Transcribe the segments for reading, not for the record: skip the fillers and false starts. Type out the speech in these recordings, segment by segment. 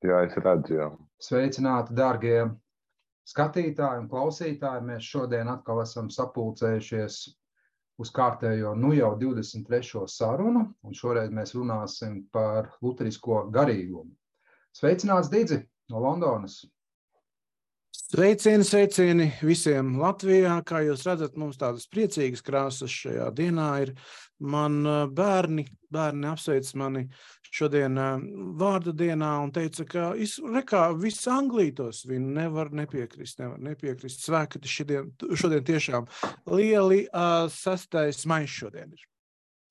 Jā, es redzu, jā. Sveicināti, dārgie skatītāji un klausītāji. Mēs šodien atkal esam sapulcējušies uz kārtējo, jau 23. sarunu, un šoreiz mēs runāsim par luterisko garīgumu. Sveicināts, Didzi, no Londonas! Sveicieni visiem Latvijā. Kā jūs redzat, mums tādas priecīgas krāsas šajā dienā ir. Man bērni apsveic mani šodien vārda dienā un teica, ka viss Anglītos viņi nevar nepiekrist. Svētkati šodien tiešām lieli 6. maijs šodien ir.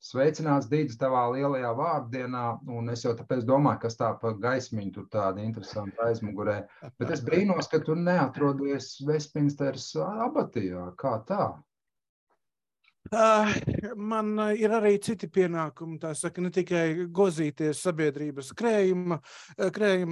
Sveicināts, Dīdzi, tavā lielajā vārdienā, un es jau tāpēc domāju, kas tā pa gaismiņu tur tāda interesanta aizmugurē. Bet es brīnos, ka tu neatrodies Vestminsteras abatijā. Kā tā? Man ir arī citi pienākumi, tā saka, ne tikai gozīties sabiedrības krējuma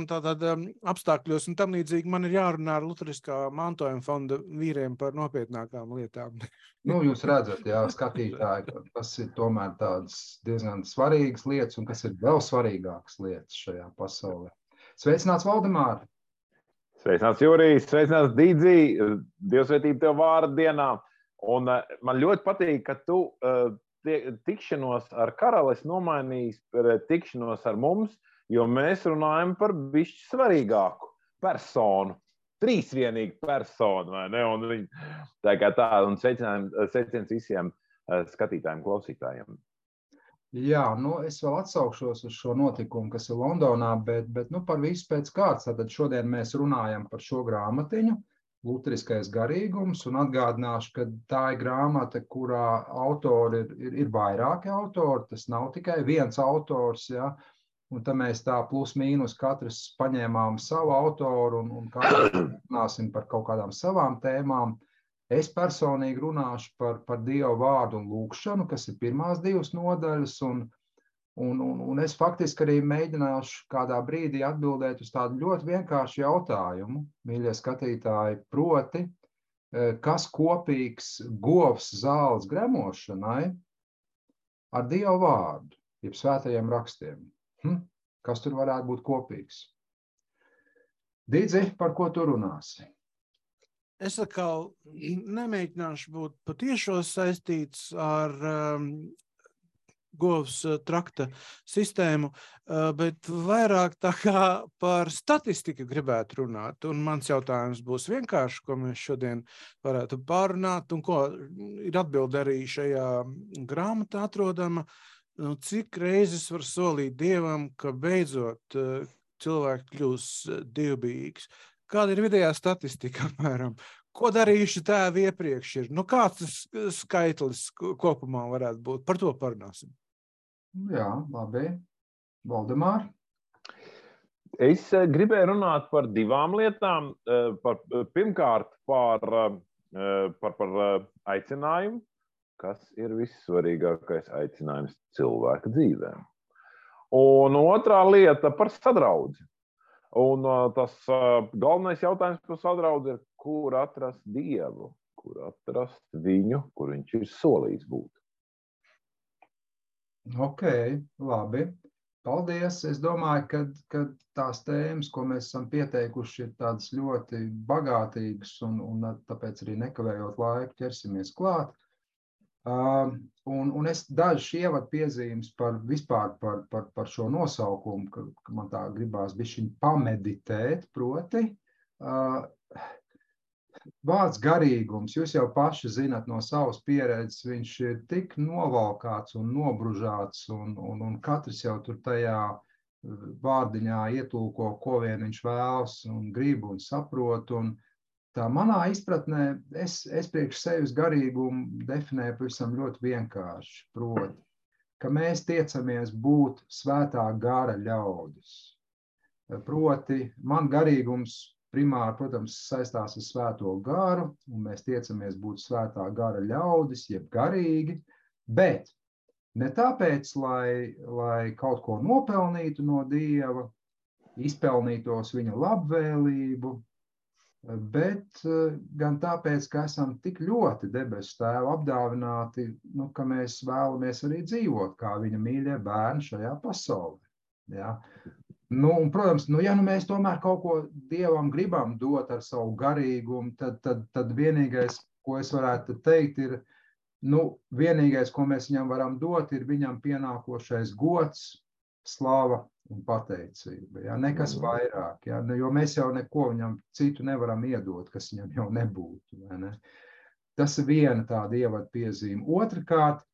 tātad apstākļos un tam līdzīgi. Man ir jārunā ar Luteriskā mantojuma fonda vīriem par nopietnākām lietām. Jūs redzat, jā, skatītāji, kas ir tomēr tādas diezgan svarīgas lietas un kas ir vēl svarīgākas lietas šajā pasaulē. Sveicināts, Valdemār! Sveicināts, Jurijs! Sveicināts, Dīdzi! Dievsvētība tev vārda dienā! Un man ļoti patīk, ka tu tikšanos ar karali nomainījis par tikšanos ar mums, jo mēs runājam par bišķi svarīgāku personu, trīsvienīgu personu, vai ne? Un viņi tā kā tā, un sveiciens visiem skatītājiem, klausītājiem. Jā, es vēl atsaukšos uz šo notikumu, kas ir Londonā, bet par visu pēc kārtas. Tad šodien mēs runājam par šo grāmatiņu, Luteriskais garīgums, un atgādināšu, ka tā ir grāmata, kurā autori ir vairāki autori, tas nav tikai viens autors, ja? Un tad mēs tā plus mīnus katrs paņēmām savu autoru un katrs runāsim par kaut kādām savām tēmām. Es personīgi runāšu par Dieva vārdu un lūgšanu, kas ir pirmās 2 nodaļas, un es faktiski arī mēģināšu kādā brīdī atbildēt uz tādu ļoti vienkāršu jautājumu, mīļie skatītāji, proti, kas kopīgs govs zāles gremošanai ar Dieva vārdu, jeb svētajiem rakstiem? Kas tur varētu būt kopīgs? Didzi, par ko tu runāsi? Es atkal nemēģināšu būt patiešos saistīts ar govs trakta sistēmu, bet vairāk tā kā par statistiku gribētu runāt. Un mans jautājums būs vienkārši, ko mēs šodien varētu pārunāt, un ko ir atbilde arī šajā grāmatā atrodama, cik reizes var solīt Dievam, ka beidzot cilvēks kļūs dievbijīgs. Kāda ir vidējā statistika apmēram? Ko darījuši tēvi iepriekš ir? Kāds tas skaitlis kopumā varētu būt? Par to parunāsim. Jā, labi. Valdemār? Es gribēju runāt par 2 lietām. Pirmkārt, par aicinājumu, kas ir vissvarīgākais aicinājums cilvēka dzīvēm. Un otrā lieta par sadraudzi. Un tas galvenais jautājums par sadraudzi ir, kur atrast Dievu, kur atrast viņu, kur viņš ir solījis būt. Ok, labi. Paldies. Es domāju, ka tās tēmas, ko mēs esam pieteikuši, ir tādas ļoti bagātīgas, un tāpēc arī nekavējot laiku ķersimies klāt. Un es dažas ievadu piezīmes vispār par šo nosaukumu, ka man tā gribās bišķiņ pameditēt, proti. Vārds garīgums, jūs jau paši zinat no savas pieredzes, viņš ir tik novalkāts un nobružāts, un katrs jau tur tajā vārdiņā ietulko, ko vien viņš vēlas un grib un saprot. Un tā manā izpratnē, es priekš sevis garīgumu definēju pavisam ļoti vienkārši, proti, ka mēs tiecamies būt svētā gara ļaudis. Proti, man garīgums primāri, protams, saistās ar svēto garu, un mēs tiecamies būt svētā gara ļaudis, jeb garīgi, bet ne tāpēc, lai kaut ko nopelnītu no Dieva, izpelnītos viņa labvēlību, bet gan tāpēc, ka esam tik ļoti debesu Tēva apdāvināti, ka mēs vēlamies arī dzīvot kā viņa mīļie bērni šajā pasaulē. Ja? Nu, un, protams, ja mēs tomēr kaut ko Dievam gribam dot ar savu garīgumu, tad vienīgais, ko es varētu teikt, ir, vienīgais, ko mēs viņam varam dot, ir viņam pienākošais gods, slava un pateicība. Ja? Nekas vairāk, ja? Jo mēs jau neko viņam citu nevaram iedot, kas viņam jau nebūtu. Vai ne? Tas ir viena tāda ievada piezīme. Otrakārt,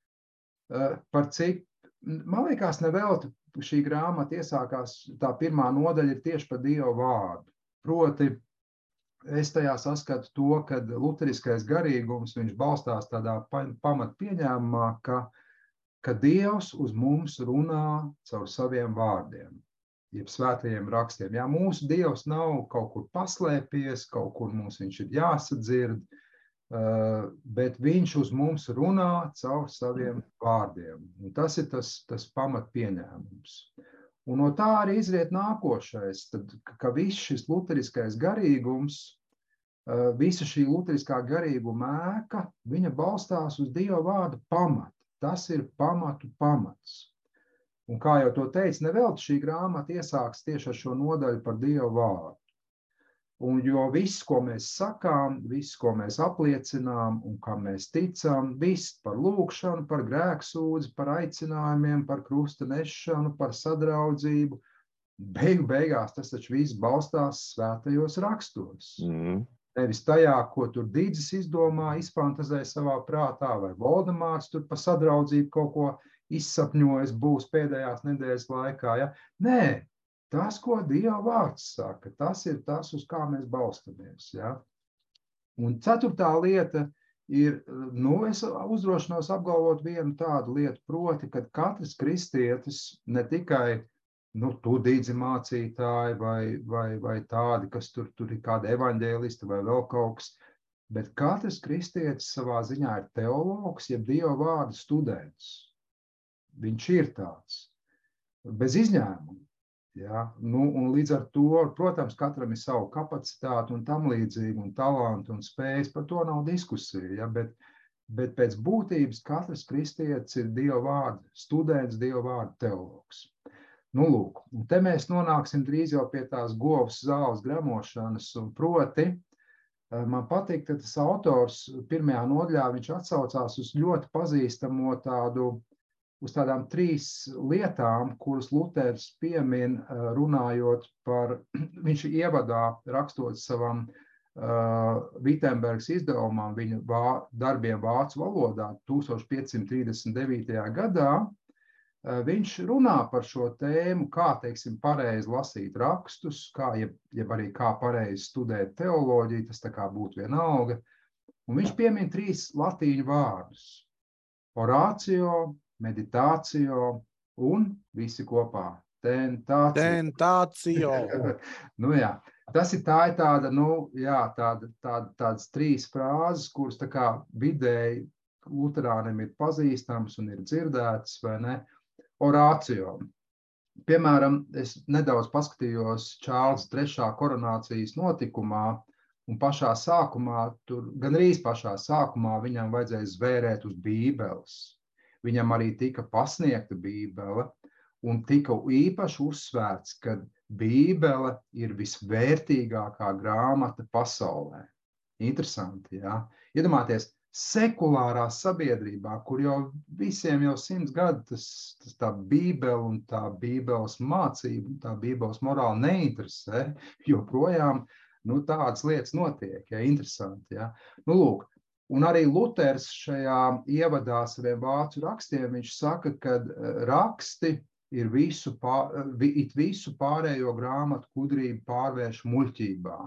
par cik, man liekas, nevelti šī grāmata iesākās, tā pirmā nodaļa ir tieši par Dieva vārdu. Proti, es tajā saskatu to, ka luteriskais garīgums, viņš balstās tādā pamatpieņēmumā, ka Dievs uz mums runā caur saviem vārdiem, jeb svētajiem rakstiem. Jā, mūsu Dievs nav kaut kur paslēpies, kaut kur mums viņš ir jāsadzird, bet viņš uz mums runā caur saviem vārdiem. Un tas ir tas pamatpieņēmums. Un no tā arī izriet nākošais, tad, ka viss šis luteriskais garīgums, visa šī luteriskā garīguma ēka, viņa balstās uz Dieva vārda pamata. Tas ir pamatu pamats. Un kā jau to teicu, nevelti šī grāmata iesāks tieši ar šo nodaļu par Dieva vārdu. Un jo viss, ko mēs sakām, viss, ko mēs apliecinām un kam mēs ticam, viss par lūgšanu, par grēksūdzi, par aicinājumiem, par krusta nešanu, par sadraudzību, beigās tas taču viss balstās svētajos rakstos. Nevis tajā, ko tur Dīdzis izdomā, izfantazē savā prātā, vai Voldemārts tur pa sadraudzību kaut ko izsapņojas būs pēdējās nedēļas laikā. Ja? Nē. Tas, ko Dieva vārds saka, tas ir tas, uz kā mēs balstamies. Ja? Un ceturtā lieta ir, es uzdrošinos apgalvot vienu tādu lietu, proti, ka katrs kristietis, ne tikai tu Dīdzi mācītāji vai tādi, kas tur ir kādi evaņģēlisti vai vēl kaut kas, bet katrs kristietis savā ziņā ir teologs, jeb Dieva vārda students. Viņš ir tāds, bez izņēmuma. Ja? Un līdz ar to, protams, katram ir savu kapacitāti un tam līdzīgi, un talantu un spējas, par to nav diskusija. Ja? Bet pēc būtības katrs kristietis ir Dieva vārda students, Dieva vārda teologs. Lūk, un te mēs nonāksim drīz jau pie tās govs zāles gremošanas, un proti, man patīk, ka tas autors pirmajā nodaļā viņš atsaucās uz ļoti pazīstamo uz tādām 3 lietām, kuras Luters piemin runājot par, viņš ievadā rakstot savam Vittenbergas izdevumam, viņa darbiem vācu valodā 1539. gadā, viņš runā par šo tēmu, kā, teiksim, pareizi lasīt rakstus, jeb arī kā pareizi studēt teoloģiju, tas tā kā būtu vienalga. Un viņš piemin 3 latīņu vārdus – orācio, meditācio un visi kopā tentācio. Jā, tas ir tāda, tādas 3 frāzes, kuras tā kā vidēji luterāniem ir pazīstams un ir dzirdētas, vai ne? Orācio. Piemēram, es nedaudz paskatījos Čārlza 3. koronācijas notikumā, un pašā sākumā, gandrīz pašā sākumā viņam vajadzēja zvērēt uz Bībeles. Viņam arī tika pasniegta Bībele un tika īpaši uzsvērts, ka Bībele ir visvērtīgākā grāmata pasaulē. Interesanti, jā? Iedomājieties, sekulārā sabiedrībā, kur jau visiem jau 100 gadu tā Bībele un tā Bībeles mācība, tā Bībeles morāla neinteresē, joprojām tādas lietas notiek, ja? Interesanti, jā? Lūk. Un arī Luters šajā ievadā saviem vācu rakstiem, viņš saka, ka raksti ir visu pārējo grāmatu gudrību pārvērš muļķībā.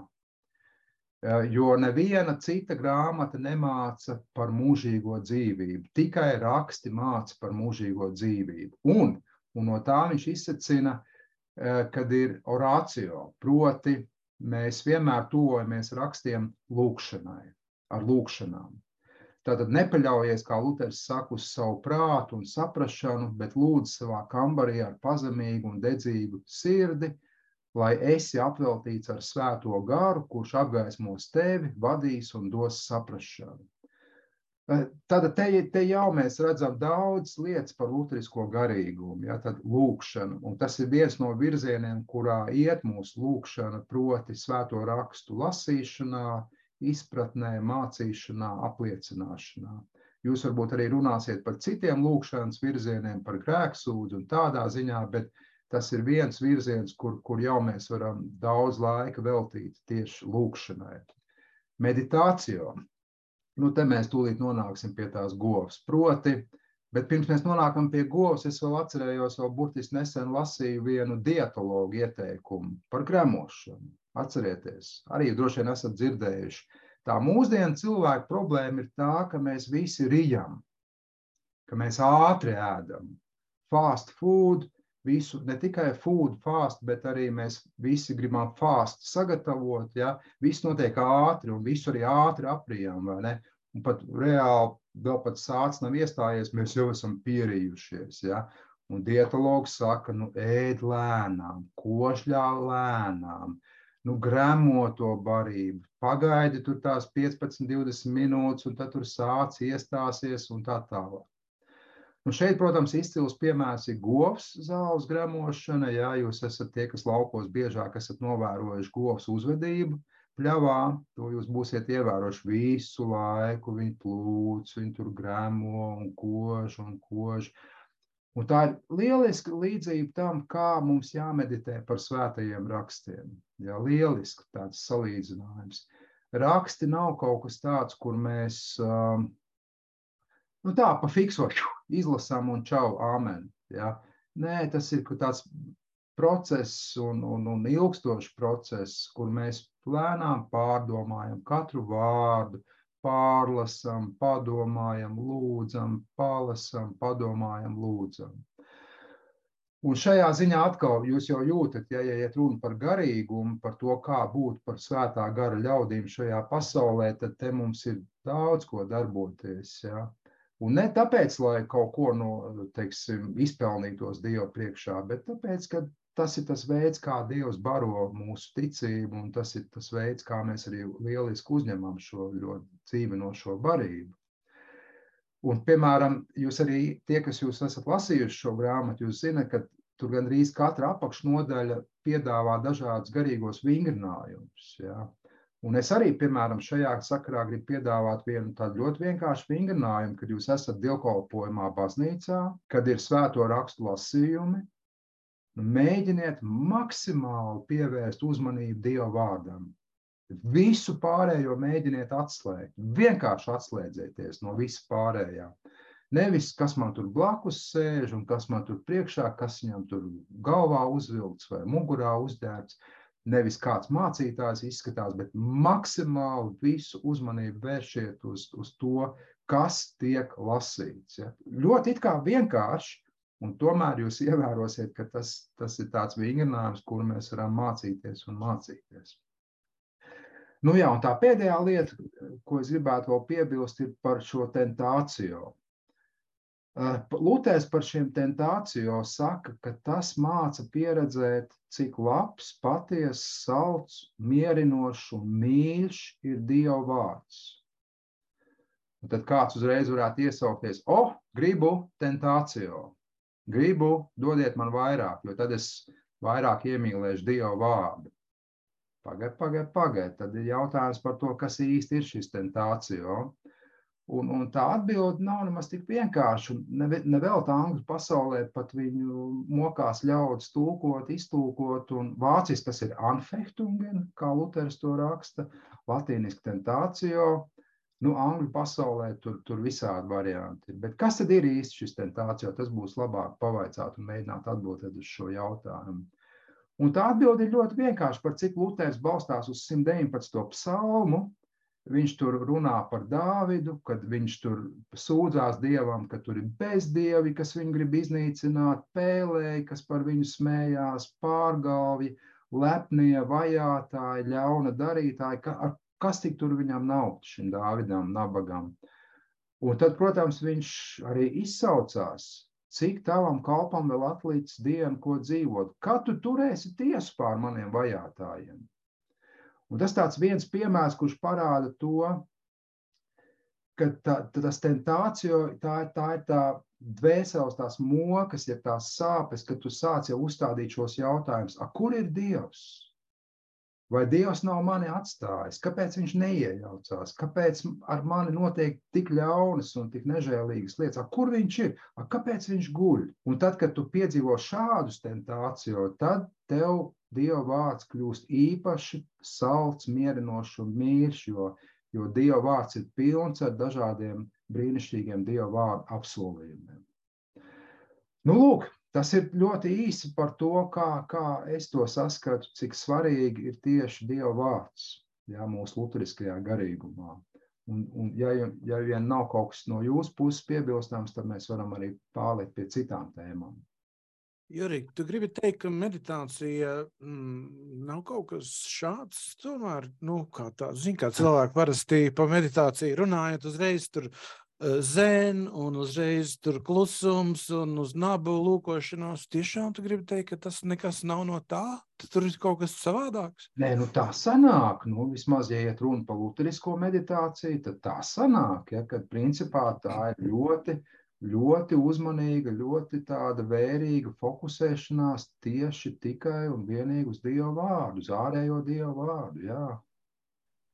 Jo neviena cita grāmata nemāca par mūžīgo dzīvību, tikai raksti māca par mūžīgo dzīvību. Un no tā viņš izsacina, kad ir orācio, proti mēs vienmēr tuvojamies rakstiem lūgšanai. Ar lūgšanām. Tātad nepaļaujies, kā Luters saka, uz savu prātu un saprašanu, bet lūdz savā kambarī ar pazemīgu un dedzīgu sirdi, lai esi apveltīts ar svēto garu, kurš apgaismos tevi, vadīs un dos saprašanu. Tad te jau mēs redzam daudz lietas par luterisko garīgumu, ja, tad lūkšana, un tas ir viens no virzieniem, kurā iet mūsu lūkšana, proti svēto rakstu lasīšanā, izpratnē, mācīšanā, apliecināšanā. Jūs varbūt arī runāsiet par citiem lūkšanas virzieniem, par grēksūdzi un tādā ziņā, bet tas ir viens virziens, kur jau mēs varam daudz laika veltīt tieši lūkšanai. Meditācijā. Nu, te mēs tūlīt nonāksim pie tās govs. Proti, bet pirms mēs nonākam pie govs, es vēl atcerējos, vēl burtiski nesen lasīju vienu dietologu ieteikumu par gremošanu. Atcerieties, arī droši vien esat dzirdējuši. Tā mūsdienu cilvēku problēma ir tā, ka mēs visi rijam, ka mēs ātri ēdam. Fast food, visu, ne tikai food fast, bet arī mēs visi gribam fast sagatavot, ja? Viss notiek ātri un visu arī ātri aprijam, vai ne? Un pat reāli vēl pat sācs nav iestājies, mēs jau esam pierījušies, ja? Un dietologs saka, nu ēd lēnām, košļā lēnām, nu gremo to barību, pagaidi tur tās 15-20 minūtes un tad tur sāc iestāsies un tā tālāk. Un šeit, protams, izcils piemērs ir govs zāles gremošana. Jā, jūs esat tie, kas laukos biežāk esat novērojuši govs uzvedību pļavā. To jūs būsiet ievērojuši visu laiku. Viņi plūc, viņi tur gremo un kož un kož. Un tā ir lieliska līdzība tam, kā mums jāmeditē par svētajiem rakstiem. Jā, lieliski tāds salīdzinājums. Raksti nav kaut kas tāds, kur mēs... Nu tā, pa fiksošu, izlasām un čau, āmen. Ja? Nē, tas ir tāds process un ilgstošs process, kur mēs lēnām pārdomājam katru vārdu, pārlasam, padomājam, lūdzam, palasam, padomājam, lūdzam. Un šajā ziņā atkal jūs jau jūtat, ja iet runa par garīgumu, par to, kā būt par svētā gara ļaudīm šajā pasaulē, tad te mums ir daudz ko darboties, ja? Un ne tāpēc, lai kaut ko teiksim, izpelnītos Dievu priekšā, bet tāpēc, ka tas ir tas veids, kā Dievs baro mūsu ticību, un tas ir tas veids, kā mēs arī lieliski uzņemam šo ļoti dzīvinošo barību. Un, piemēram, jūs arī, tie, kas jūs esat lasījuši šo grāmatu, jūs zināt, ka tur gandrīz katra apakšnodaļa piedāvā dažādus garīgos vingrinājumus, ja? Un es arī, piemēram, šajā sakarā gribu piedāvāt vienu tādu ļoti vienkāršu vingrinājumu, kad jūs esat dievkalpojumā baznīcā, kad ir svēto rakstu lasījumi, mēģiniet maksimāli pievērst uzmanību Dieva vārdam. Visu pārējo mēģiniet atslēgt, vienkārši atslēdzieties no visa pārējā. Nevis, kas man tur blakus sēž un kas man tur priekšā, kas viņam tur galvā uzvilkts vai mugurā uzģērbts. Nevis kāds mācītājs izskatās, bet maksimāli visu uzmanību vēršiet uz to, kas tiek lasīts. Ja? Ļoti it kā vienkārši, un tomēr jūs ievērosiet, ka tas ir tāds vingrinājums, kur mēs varam mācīties un mācīties. Nu jā, un tā pēdējā lieta, ko es gribētu vēl piebilst, ir par šo tentāciju. Luters par šiem tentācijām saka, ka tas māca pieredzēt, cik labs, patiess, salds, mierinošs un mīļš ir Dieva vārds. Un tad kāds uzreiz varētu iesaukties, gribu tentāciju, gribu, dodiet man vairāk, jo tad es vairāk iemīlēšu Dieva vārdu. Pagaid, tad ir jautājums par to, kas īsti ir šis tentācija. Un tā atbilde nav nemaz tik vienkārši. Nevēl tā angļu pasaulē pat viņu mokās ļaudis tulkot, iztulkot, un vāciski tas ir Anfechtungen, kā Luters to raksta, latīniski tentācijo. Nu, angļu pasaulē tur visādi varianti. Bet kas tad ir īsti šis tentācijo? Tas būs labāk pavaicāt un mēģināt atbildēt uz šo jautājumu. Un tā atbilde ir ļoti vienkārši, par cik Luters balstās uz 119. psalmu. Viņš tur runā par Dāvidu, kad viņš tur sūdzās Dievam, ka tur ir bezdievi, kas viņu grib iznīcināt, pēlēji, kas par viņu smējās, pārgalvi, lepnie, vajātāji, ļauna darītāji, kas tik tur viņam nav, šim Dāvidam, nabagam. Un tad, protams, viņš arī izsaucās, cik tavam kalpam vēl atlicis dienu, ko dzīvot, kad tu turēsi tiesu pār maniem vajātājiem. Un tas tāds viens piemērs, kurš parāda to, ka tas tentācijo, tā ir tā dvēseles, tās mokas, ja tās sāpes, ka tu sāc jau uzstādīt šos jautājumus. Kur ir Dievs? Vai Dievs nav mani atstājis? Kāpēc viņš neiejaucās? Kāpēc ar mani notiek tik ļaunas un tik nežēlīgas lietas? Kur viņš ir? Kāpēc viņš guļ? Un tad, kad tu piedzīvo šādus tentāciju, tad tev Dieva vārds kļūst īpaši salds, mierinošs un mīļš, jo Dieva vārds ir pilns ar dažādiem brīnišķīgiem Dieva vārdu apsolījumiem. Nu, lūk, tas ir ļoti īsi par to, kā es to saskatu, cik svarīgi ir tieši Dieva vārds, mūsu luteriskajā garīgumā. Un ja vien nav kaut kas no jūsu puses piebilstams, tad mēs varam arī pārlikt pie citām tēmām. Jurij, tu gribi teikt, ka meditācija nav kaut kas šāds, tomēr, kā cilvēki parasti pa meditāciju runājot, uzreiz tur zen un uzreiz tur klusums un uz nabu lūkošanos. Tiešām tu gribi teikt, ka tas nekas nav no tā? Tur ir kaut kas savādāks? Nē, tā sanāk. Vismaz, ja iet runa par luterisko meditāciju, tad tā sanāk, kad principā tā ir ļoti uzmanīga, ļoti tāda vērīga fokusēšanās tieši tikai un vienīgi uz Dieva vārdu, uz ārējo Dieva vārdu, jā.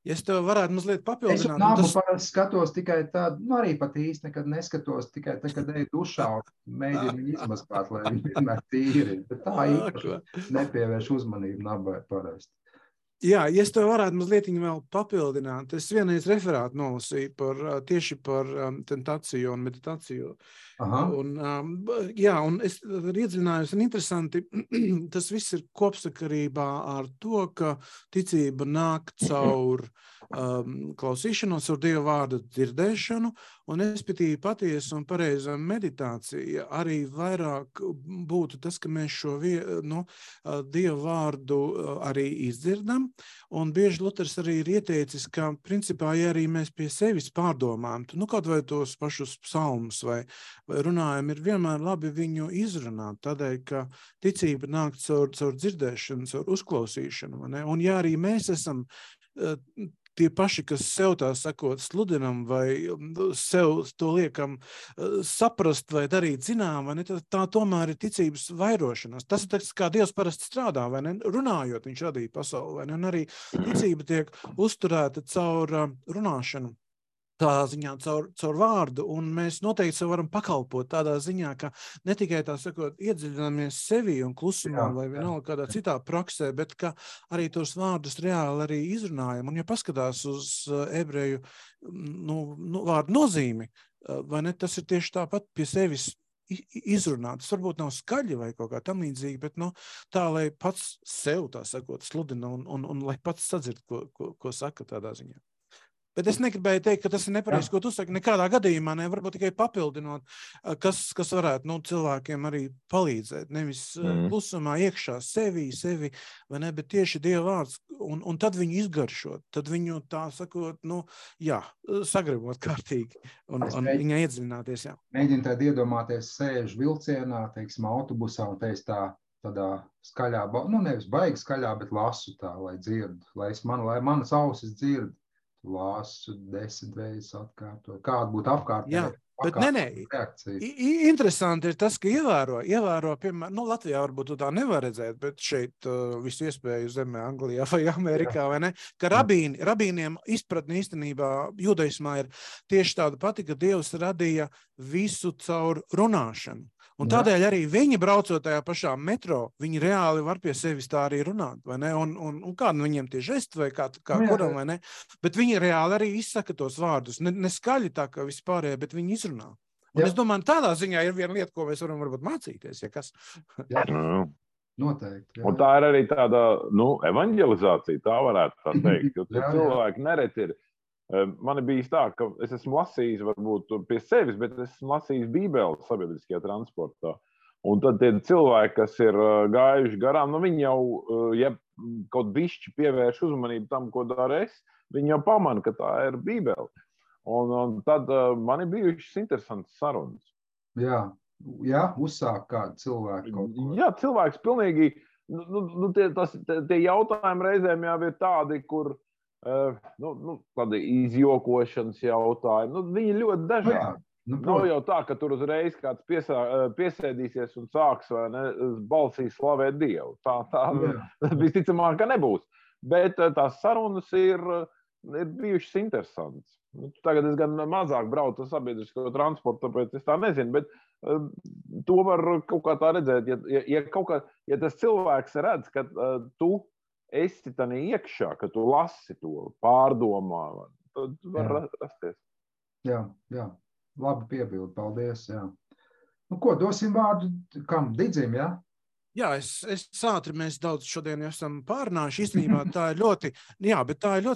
Ja es tev varētu mazliet papildināt. Es nabu parasti skatos tikai tādu, arī pat īsti nekad neskatos, tikai tad, kad eju dušā un mēģinu viņu izmaskāt, lai viņi vienmēr tīri. Bet tā īpaši nepievērš uzmanību nabai parasti. Jā, ja es tev varētu mazliet vēl papildināt, es vienreiz referātu nolasīju tieši par tentāciju un meditāciju. Un es iedziļinājos, un interesanti, tas viss ir kopsakarībā ar to, ka ticība nāk caur klausīšanos, ar Dieva vārdu dzirdēšanu, un respektīvi patiesa un pareiza meditācija arī vairāk būtu tas, ka mēs šo Dieva vārdu arī izdzirdam, un bieži Luters arī ir ieteicis, ka principā, ja arī mēs pie sevis pārdomājam, kaut vai tos pašus psalmus vai runājam, ir vienmēr labi viņu izrunāt, tādēļ, ka ticība nāk caur dzirdēšanu, caur uzklausīšanu, ne? Un ja arī mēs esam tie paši, kas sev tā sakot sludinam vai sev to liekam saprast vai darīt zinām, vai ne, tā tomēr ir ticības vairošanās. Tas ir tas, kā Dievs parasti strādā, vai ne, runājot, viņš radīja pasauli, vai ne, un arī ticība tiek uzturēta caur runāšanu. Tādā ziņā caur vārdu, un mēs noteikti sev varam pakalpot tādā ziņā, ka ne tikai tā sakot, iedziļināmies sevi un klusumā vai vienalga kādā citā praksē, bet ka arī tos vārdus reāli arī izrunājam. Un ja paskatās uz ebreju vārdu nozīmi, vai ne, tas ir tieši tāpat pie sevis izrunāt. Tas varbūt nav skaļi vai kaut kā tam līdzīgi, bet tā, lai pats sev tā sakot sludina un lai pats sadzird, ko saka tādā ziņā. Bet es negribēju teikt, ka tas ir nepareizi, ko tu saki. Nekādā gadījumā varbūt tikai papildinot, kas varētu cilvēkiem arī palīdzēt. Nevis klusumā iekšā sevi, vai ne, bet tieši Dieva vārds. Un tad viņu izgaršot, tad viņu tā sakot, sagribot kārtīgi un viņai iedziļināties. Jā. Mēģinu tad iedomāties, sēžu vilcienā, teiksim, autobusā un teiks tādā skaļā, nevis baigi skaļā, bet lasu tā, lai dzirdu, lai manas ausis dzird. Lasu 10 reizes atkārtot. Kāda būtu apkārtējā reakcija? Interesanti ir tas, ka ievēro piemēram, Latvijā varbūt tu tā nevar redzēt, bet šeit visu iespēju zemē, Anglijā vai Amerikā, vai ne, ka rabīniem izpratne īstenībā judaismā ir tieši tāda pati, ka Dievs radīja visu caur runāšanu. Un tādēļ arī viņi braucot tajā pašā metro, viņi reāli var pie sevis tā arī runāt, vai ne? Un kādu viņiem tie žesti vai kā kuram, vai ne? Bet viņi reāli arī izsaka tos vārdus. Ne skaļi tā, kā vispārējie, bet viņi izrunā. Un es domāju, tādā ziņā ir viena lieta, ko mēs varam varbūt mācīties, ja kas. Noteikti. Jā. Un tā ir arī tāda, evanģelizācija, tā varētu tā teikt. Jo cilvēki nereti ir. Man ir bijis tā, ka es esmu lasījis varbūt pie sevis, bet es esmu lasījis Bībeli sabiedriskajā transportā. Un tad tie cilvēki, kas ir gājuši garām, viņi jau, ja kaut bišķi pievērš uzmanību tam, ko dara es, viņi jau pamana, ka tā ir Bībeli. Un tad man ir bijušas interesantas sarunas. Jā, uzsāk kādu cilvēku kaut ko. Jā, cilvēks pilnīgi, tie jautājumi reizēm jau ir tādi, kur tādi izjokošanas jautājumi. Viņi ļoti dažādi. Nav jau tā, ka tur uzreiz kāds piesēdīsies un sāks vai ne, balsī slavēt Dievu. Tā visticamāk, ka nebūs. Bet tās sarunas ir bijušas interesantas. Tagad es gan mazāk braucu ar sabiedrisko transportu, tāpēc es tā nezinu, bet to var kaut kā tā redzēt. Ja tas cilvēks redz, ka tu esi tādā iekšā, ka tu lasi to, pārdomā, tad var rasties. Jā. Labi piebildi, paldies. Jā. Nu, ko, dosim vārdu kam? Didzim, jā? Jā, es ātri, mēs daudz šodien esam pārnājuši. Īstenībā tā ir ļoti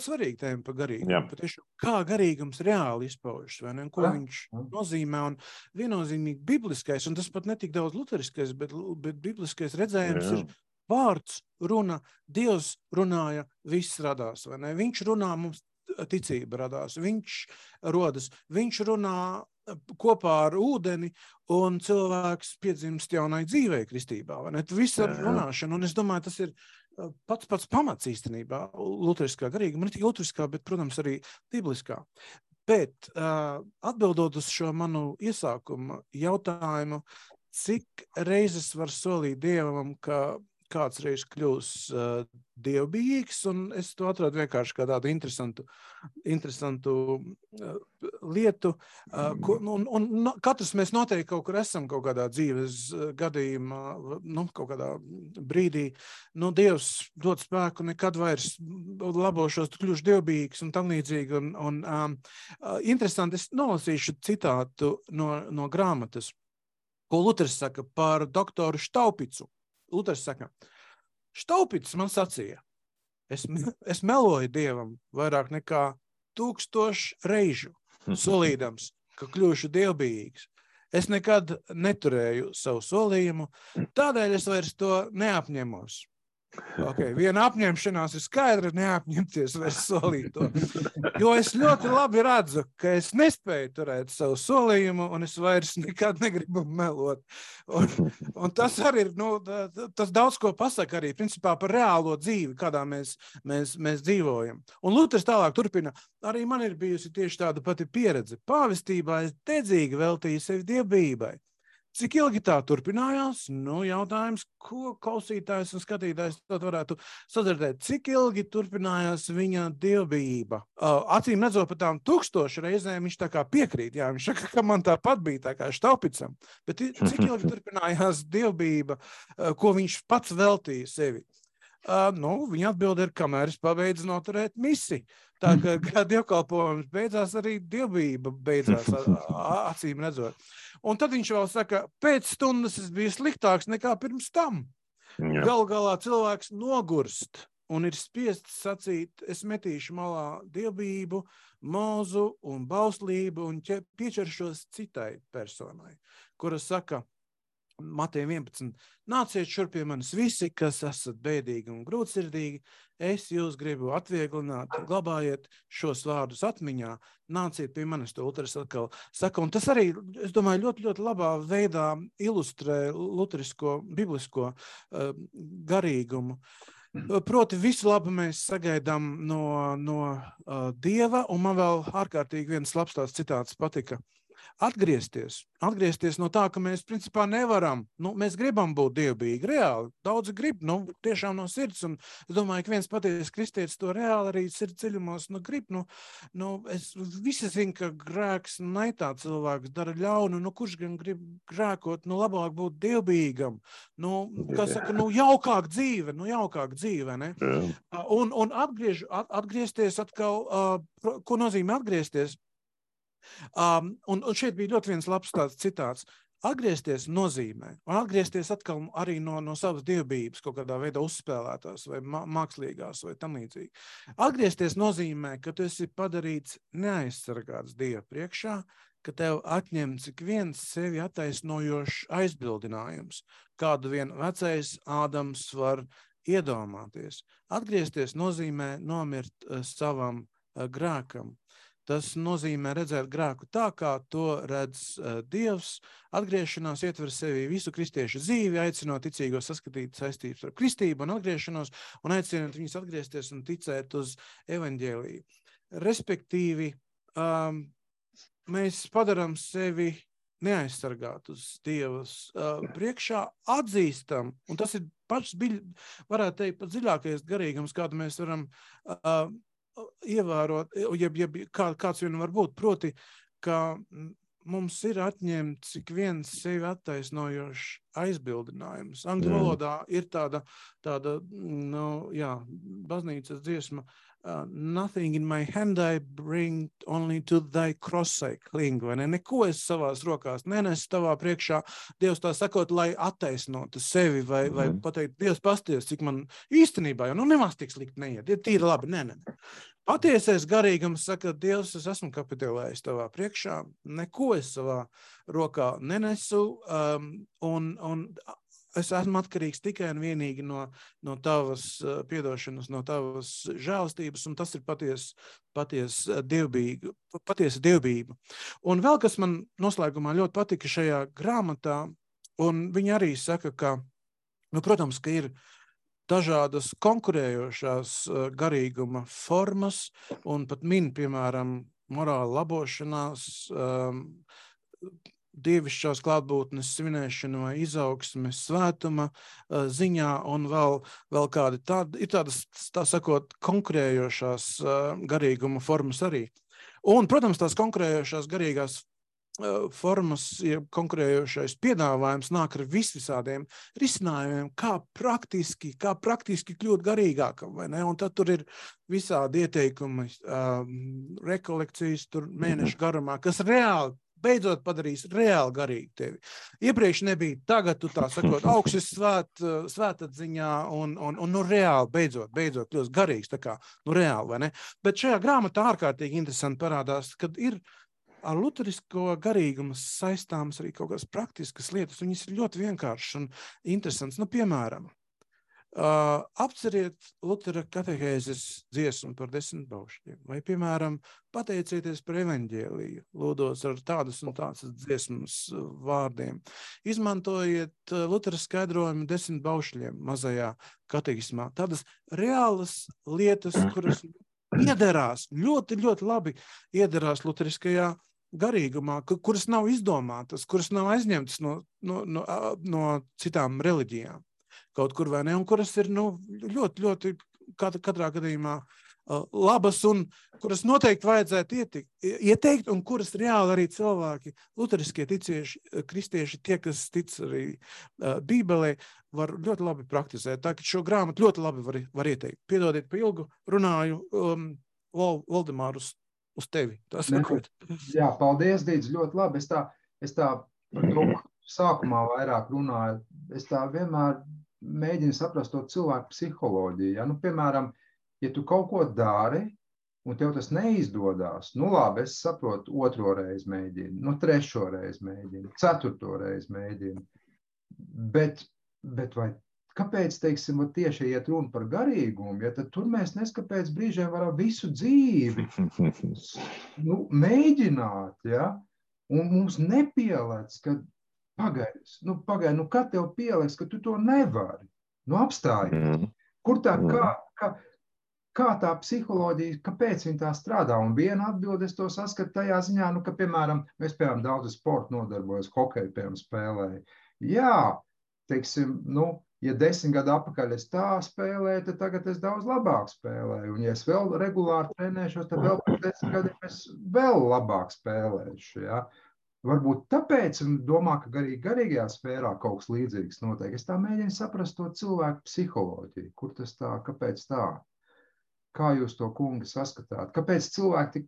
svarīga tēma par garīgumu. Patiešām, kā garīgums reāli izpaužas, vai ne? Ko viņš nozīmē, un viennozīmīgi bibliskais, un tas pat netik daudz luteriskais, bet bibliskais redzējums ir vārds, runa, Dievs runāja, viss radās, vai ne? Viņš runā, mums ticība radās, viņš rodas, viņš runā kopā ar ūdeni, un cilvēks piedzimst jaunai dzīvei kristībā, vai ne? Viss ar runāšanu, un es domāju, tas ir pats pamats īstenībā luteriskā garīguma, ne tikai luteriskā, bet, protams, arī bibliskā. Bet atbildot uz šo manu iesākumu jautājumu, cik reizes var solīt Dievam, ka kāds reiz kļūs dievbijīgs, un es to atradu vienkārši kā tādu interesantu lietu. Un katrs mēs noteikti kaut kur esam kaut kādā dzīves gadījumā, kaut kādā brīdī. Dievs dod spēku, nekad vairs labošos, kļūšu dievbijīgs un tam līdzīgi. Interesanti, es nolasīšu citātu no grāmatas, ko Luters saka par doktoru Štaupicu. Luters saka, Štaupicis man sacīja, es meloju Dievam vairāk nekā 1000 reižu, solīdams, ka kļūšu dievbijīgs. Es nekad neturēju savu solījumu, tādēļ es vairs to neapņemos. Viena apņemšanās ir skaidra, neapņemties vairs solīt to. Jo es ļoti labi redzu, ka es nespēju turēt savu solījumu, un es vairs nekad negribu melot. Un tas arī ir, tas daudz ko pasaka arī, principā, par reālo dzīvi, kādā mēs dzīvojam. Un Luters tālāk turpina, arī man ir bijusi tieši tāda pati pieredze. Pāvestībā es dedzīgi veltīju sevi dievbijībai. Cik ilgi tā turpinājās? Jautājums, ko klausītājs un skatītājs tad varētu sadzirdēt. Cik ilgi turpinājās viņa dievbijība? Acīm redzot par tām 1000 reizēm viņš tā kā piekrīt. Jā, viņš saka, ka man tāpat bija tā kā Štaupicam. Bet cik ilgi turpinājās dievbijība, ko viņš pats veltīja sevi? Viņa atbilde ir, kamēr es pabeidzu noturēt misi. Tā kā dievkalpojums beidzās, arī dievbijība beidzās, acīm redzot. Un tad viņš vēl saka, pēc stundas es biju sliktāks nekā pirms tam. Galu galā cilvēks nogurst un ir spiests sacīt, es metīšu malā dievbijību, mūzu un bauslību un piečeršos citai personai, kura saka, Mateja 11, nāciet šurp pie manis visi, kas esat bēdīgi un grūtsirdīgi, es jūs gribu atvieglināt, glabājiet šos vārdus atmiņā, nāciet pie manis, to Luters atkal saka, un tas arī, es domāju, ļoti, ļoti labā veidā ilustrē luterisko, biblisko garīgumu. Proti visu labu mēs sagaidām no Dieva, un man vēl ārkārtīgi viens labs tāds citāts patika. Atgriezties no tā, ka mēs principā nevaram, mēs gribam būt dievbijīgi, reāli, daudzi grib, tiešām no sirds, un es domāju, ka viens patiesas kristietis to reāli arī sirds dziļumos, grib, es visi zinu, ka grēks naitā cilvēks dara ļaunu, kurš gan grib grēkot, labāk būt dievbijīgam, kā saka, jaukāk dzīve, ne? Un atgriezties atkal, ko nozīmē atgriezties? Un šeit bija ļoti viens labs tāds citāts. Atgriezties nozīmē, un atgriezties atkal arī no savas dievbijības kaut kādā veidā uzspēlētās vai mākslīgās vai tam līdzīgi. Atgriezties nozīmē, ka tu esi padarīts neaizsargāts Dieva priekšā, ka tev atņemts ik viens sevi attaisnojošs aizbildinājums, kādu vien vecais Ādams var iedomāties. Atgriezties nozīmē nomirt savam grēkam. Tas nozīmē redzēt grēku tā, kā to redz Dievs. Atgriešanās ietver sevi visu kristiešu dzīvi, aicinot ticīgos saskatīt saistības ar kristību un atgriešanos, un aicinot viņus atgriezties un ticēt uz evaņģēliju. Respektīvi, mēs padarām sevi neaizsargātus Dievas priekšā, atzīstam, un tas ir pats, varētu teikt, pat dziļākais garīgums, kādu mēs varam ievērot, kāds vien var būt, proti, ka mums ir atņemts ik viens sevi attaisnojošs aizbildinājums. Angļu valodā ir tāda baznīcas dziesma, nothing in my hand I bring, only to thy cross I cling, vai ne? Neko es savās rokās nenesu tavā priekšā, Dievs tā sakot, lai attaisnotu sevi, vai pateikt, Dievs pasties, cik man īstenībā, jo nemaz tik slikti neiet, ir tīri labi, ne. Patiesais garīgums saka, Dievs, es esmu kapitulējis tavā priekšā, neko es savā rokā nenesu, un es esmu atkarīgs tikai un vienīgi no tavas piedošanas, no tavas žēlstības, un tas ir patiesa dievbība. Un vēl, kas man noslēgumā ļoti patika šajā grāmatā, un viņi arī saka, ka, protams, ka ir dažādas konkurējošās garīguma formas, un pat piemēram, morāla labošanās, dievišķās klātbūtnes svinēšana vai izaugsme svētuma ziņā, un vēl kādi tādi, ir tādas, tā sakot, konkurējošās garīguma formas arī. Un, protams, tās konkurējošās garīgās formas, ja konkurējošais piedāvājums nāk ar visādiem risinājumiem, kā praktiski kļūt garīgākam, vai ne? Un tad tur ir visādi ieteikumi, rekolekcijas tur mēnešu garumā, kas reāli beidzot padarīs reāli garīgi tevi. Iepriekš nebija, tagad tu tā sakot, augšas svētatziņā un reāli beidzot kļūst garīgs, tā kā, reāli, vai ne? Bet šajā grāmatā ārkārtīgi interesanti parādās, kad ir ar luterisko garīgumu saistāmas arī kaut kādas praktiskas lietas, viņas ir ļoti vienkāršas un interesants. Piemēram, apceriet Lutera katehēzes dziesmu par 10 baušļiem, vai, piemēram, pateicieties par evaņģēliju, lūdot ar tādas un tādas dziesmas vārdiem. Izmantojiet Lutera skaidrojumu 10 baušļiem mazajā katehismā. Tādas reālas lietas, kuras iederās, ļoti, ļoti labi iederās luteriskajā garīgumā, kuras nav izdomātas, kuras nav aizņemtas no citām reliģijām. Kaut kur vai ne, un kuras ir ļoti, ļoti katrā gadījumā labas un kuras noteikti vajadzētu ieteikt, un kuras reāli arī cilvēki, luteriskie ticieši, kristieši, tie, kas tic arī Bībelē, var ļoti labi praktizēt. Tā, ka šo grāmatu ļoti labi var ieteikt. Piedodiet, pa ilgu runāju, Valdemār, uz tevi. Jā, paldies, Dīdz, ļoti labi. Es tā par to sākumā vairāk runāju. Es tā vienmēr mēģinu saprast to cilvēku psiholoģiju. Ja? Piemēram, ja tu kaut ko dari, un tev tas neizdodas, labi, es saprotu, 2. reizi mēģinu, 3. reizi mēģinu, 4. reizi mēģinu. Bet vai kāpēc, teiksim, tieši iet runa par garīgumu, ja tad tur mēs neskapēc brīžiem varam visu dzīvi mēģināt, ja? Un mums nepielēc, ka pagaidi, kad tev pieliks, ka tu to nevari? Apstājies. Kur tā, kā tā psiholoģija, kāpēc viņa tā strādā? Un viena atbilde es to saskatu tajā ziņā, ka, piemēram, mēs, daudz sporta nodarbojas, hokeju, spēlēju. Jā, teiksim, ja 10 gadu atpakaļ es tā spēlēju, tad tagad es daudz labāk spēlēju. Un ja es vēl regulāri trenēšos, tad vēl pēc 10 gadiem es vēl labāk spēlēšu, ja? Varbūt tāpēc domā, ka garīgajā sfērā kaut kas līdzīgs notiek. Es tā mēģinu saprast to cilvēku psiholoģiju. Kur tas tā, kāpēc tā? Kā jūs to, kungi, saskatāt? Kāpēc cilvēki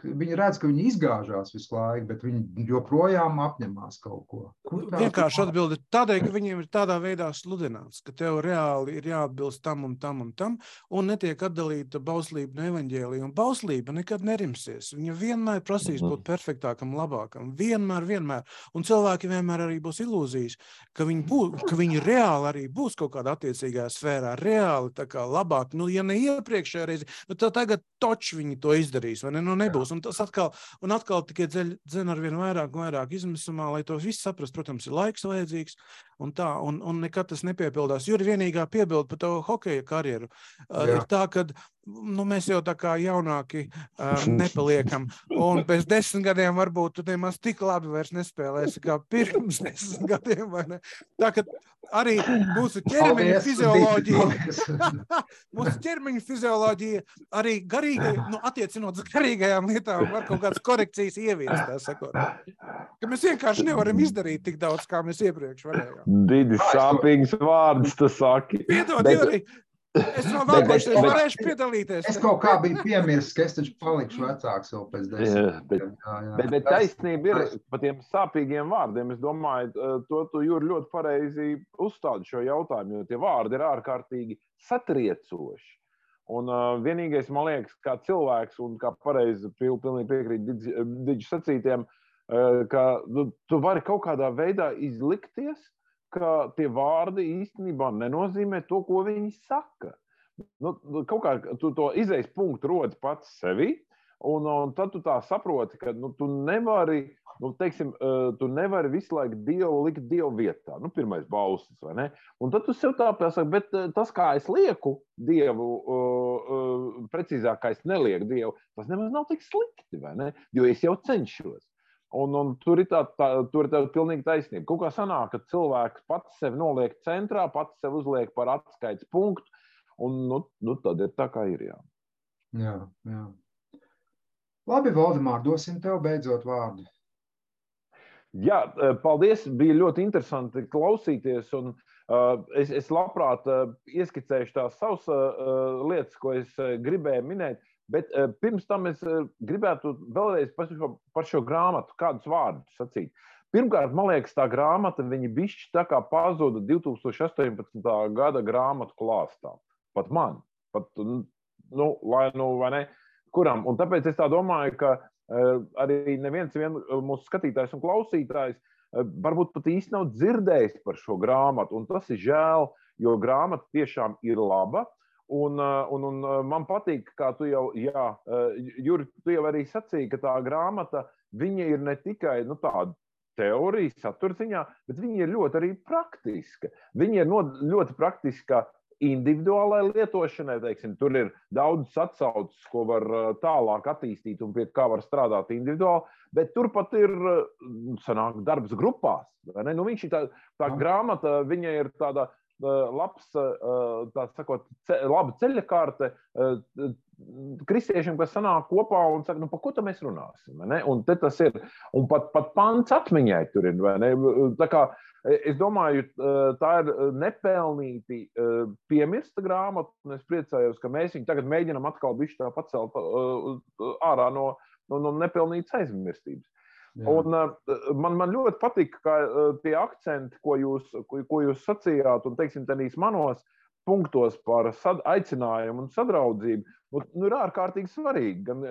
viņi redz, ka viņi izgāžās visu laiku, bet viņi joprojām apņemās kaut ko? Vienkārši atbildi tādēļ, ka viņiem ir tādā veidā sludināts, ka tev reāli ir jāatbilst tam un tam un tam, un netiek atdalīta bauslība no evaņģēlija. Un bauslība nekad nerimsies. Viņa vienmēr prasīs būt perfektākam, labākam. Vienmēr. Un cilvēki vienmēr arī būs ilūzijas, ka viņi reāli arī būs kaut kādā attiecīgā sfērā, reāli tā kā labāk. Ja ne iepriekš, iepriekšējā reizi, tagad toči viņi to izdarīs, vai ne? Nebūs. Un tas atkal tikai dzen ar vien vairāk izmisumā, lai to viss saprast, protams, ir laiks vajadzīgs un tā, un nekad tas nepiepildās. Juri, vienīgā piebilda par tavu hokeja karjeru ir tā, ka mēs jau tā kā jaunāki nepaliekam, un pēc 10 gadiem varbūt tu nemaz tik labi vairs nespēlēsi kā pirms 10 gadiem, vai ne? Tā, ka arī mūsu ķermeņa fizioloģija, arī attiecinot uz garīgajām lietām, var kaut kādas korekcijas ieviest, tā sakot. Ka mēs vienkārši nevaram izdarīt tik daudz, kā mēs iepriekš varējām. Didi sāpīgs vārds, tu saki. Piedod, Juri, es vēl nākošais varēšu piedalīties. Es kaut kā biju piemirsis, ka es taču palikšu vecāks vēl pēc 10 gadiem. Bet taisnība ir par tiem sāpīgiem vārdiem. Es domāju, tu Juri ļoti pareizi uzstādi šo jautājumu, jo tie vārdi ir ārkārtīgi satriecoši. Un vienīgais, man liekas, kā cilvēks un kā pareizi pilnīgi piekrīt Diģi sacītiem, ka tu vari kaut kādā veidā izlikties, ka tie vārdi īstenībā nenozīmē to, ko viņi saka. Kaut kā tu to izejas punktu rodi pats sevi, un tad tu tā saproti, ka tu nevari, tu nevari visu laiku Dievu likt Dievu vietā. Pirmais bauslis, vai ne? Un tad tu sev tā pasaki, bet tas, kā es lieku Dievu, precīzāk, kā es nelieku Dievu, tas nemaz nav tik slikti, vai ne? Jo es jau cenšos. Un tur ir tā pilnīgi taisnība. Kaut kā sanāk, ka cilvēks pats sevi noliek centrā, pats sevi uzliek par atskaites punktu, un tad ir tā, kā ir, jā. Jā. Labi, Valdemār, dosim tev beidzot vārdu. Jā, paldies, bija ļoti interesanti klausīties, un es labprāt ieskicēšu tās savas lietas, ko es gribēju minēt. Bet pirms tam es gribētu vēlreiz par šo grāmatu kādus vārdus sacīt. Pirmkārt, man liekas, tā grāmata, viņa bišķi tā kā pazuda 2018. gada grāmatu klāstā. Pat man. Vai ne? Kuram? Un tāpēc es tā domāju, ka arī neviens mūsu skatītājs un klausītājs varbūt pat īsti nav dzirdējis par šo grāmatu. Un tas ir žēl, jo grāmata tiešām ir laba. Un man patīk, kā tu jau, Juri, tu jau arī sacīji, ka tā grāmata, viņa ir ne tikai tāda teorija, saturziņā, bet viņa ir ļoti arī praktiska. Viņa ir ļoti praktiska individuālai lietošanai, teiksim, tur ir daudz atsauces, ko var tālāk attīstīt un pie kā var strādāt individuāli, bet turpat ir sanāk darbs grupās. Vai ne? Viņš ir tā grāmata, viņa ir tāda labs, tā sakot, laba ceļakārte kristiešiem, kas sanāk kopā un saka, par ko tad mēs runāsim, vai ne? Un te tas ir, un pat pants atmiņai tur ir, vai ne? Tā kā, es domāju, tā ir nepelnīti piemirsta grāmata, un es priecājos, ka mēs viņu tagad mēģinam atkal bišķi tā pacelt ārā no nepelnītas aizmirstības. Un man ļoti patika, ka tie akcenti, ko jūs sacījāt, un, teiksim, tenīs manos punktos par aicinājumu un sadraudzību, ir ārkārtīgi svarīgi. Gan